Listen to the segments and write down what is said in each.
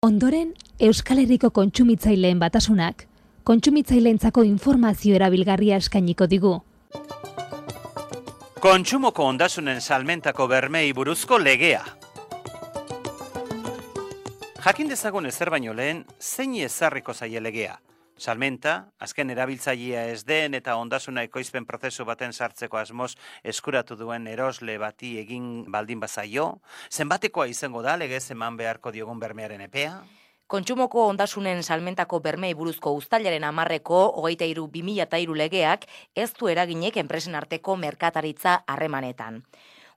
Ondoren, Euskal Herriko kontsumitzaileen batasunak, kontsumitzaileentzako informazio erabilgarria eskainiko digu. Kontsumoko ondasunen salmentako bermeei buruzko legea. Jakin dezagun ezer baino lehen, zein ezarriko zaie legea. Salmenta, azken erabiltzailea ez den eta ondasuna ekoizpen prozesu baten sartzeko asmoz eskuratu duen erosle bati egin baldin bazaio, zenbatekoa izango da legez eman beharko diogun bermearen epea? Kontsumoko ondasunen salmentako bermei buruzko uztailaren 10-eko 23/2003 legeak ez du eraginek enpresen arteko merkataritza harremanetan.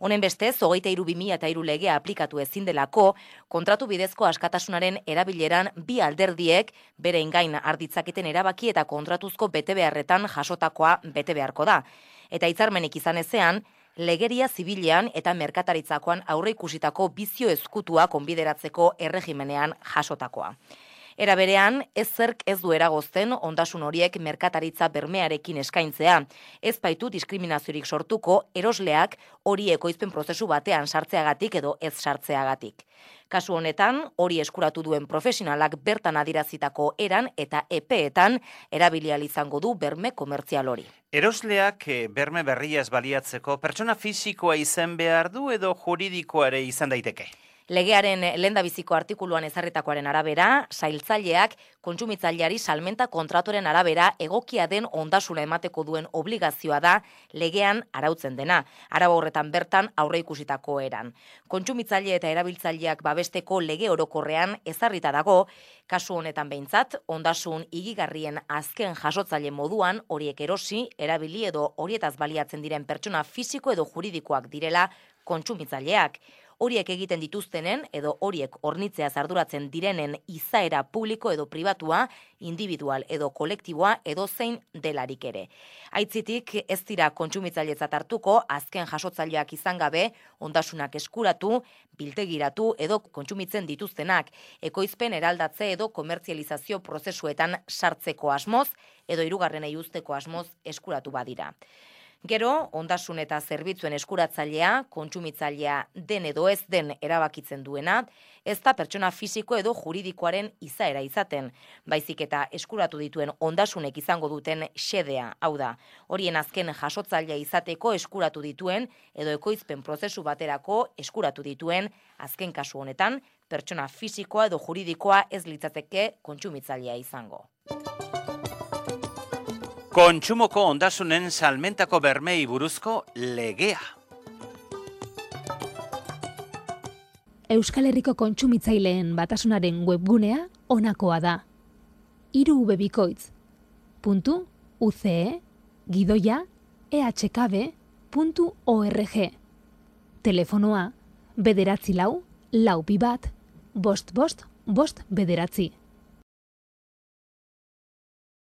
Honen bestez, 23/2003 legea aplikatu ezin delako, kontratu bidezko askatasunaren erabileran bi alderdiek bere gain harditzaketen erabaki eta kontratuzko betebeharretan jasotakoa bete beharko da. Eta hitzarmenik izan ezean, legeria zibilean eta merkataritzakoan aurreikusitako bizio ezkutua konbideratzeko erregimenean jasotakoa. Era berean, zerk ez du eragozten ondasun horiek merkataritza bermearekin eskaintzea. Ez baitu diskriminaziorik sortuko erosleak hori ekoizpen prozesu batean sartzeagatik edo ez sartzeagatik. Kasu honetan, hori eskuratu duen profesionalak bertan adirazitako eran eta epeetan erabilial izango du berme komertzial hori. Erosleak berme berriaz baliatzeko pertsona fisikoa izan behar du edo juridikoa ere izan daiteke? Legearen lehendabiziko artikuluan ezarritakoaren arabera, sailtzaileak kontsumitzaileari salmenta kontratuaren arabera egokia den ondasuna emateko duen obligazioa da legean arautzen dena. Arau horretan bertan aurreikusitako eran. Kontsumitzaile eta erabiltzaileak babesteko lege orokorrean ezarrita dago, kasu honetan behintzat, ondasun higigarrien azken jasotzaile moduan horiek erosi, erabili edo horietaz baliatzen diren pertsona fisiko edo juridikoak direla kontsumitzaileak. Horiek egiten dituztenen edo horiek hornitzeaz arduratzen direnen izaera publiko edo pribatua, individual edo kolektiboa edo zein delarik ere. Aitzitik ez dira kontsumitzailetzat hartuko azken jasotzaileak izan gabe ondasunak eskuratu, biltegiratu edo kontsumitzen dituztenak, ekoizpen eraldatze edo komertzializazio prozesuetan sartzeko asmoz edo hirugarrenei uzteko asmoz eskuratu badira. Gero, ondasun eta zerbitzuen eskuratzailea, kontsumitzailea den edo ez den erabakitzen duena, ez da pertsona fisiko edo juridikoaren izaera izaten, baizik eta eskuratu dituen ondasunek izango duten xedea, hau da, horien azken jasotzailea izateko eskuratu dituen edo ekoizpen prozesu baterako eskuratu dituen, azken kasu honetan, pertsona fisikoa edo juridikoa ez litzateke kontsumitzailea izango. Kontsumoko ondasunen salmentako bermei buruzko legea. Euskal Herriko kontsumitzaileen batasunaren webgunea honakoa da. 3www.uce-ehkb.org. Telefonoa 944 425 555.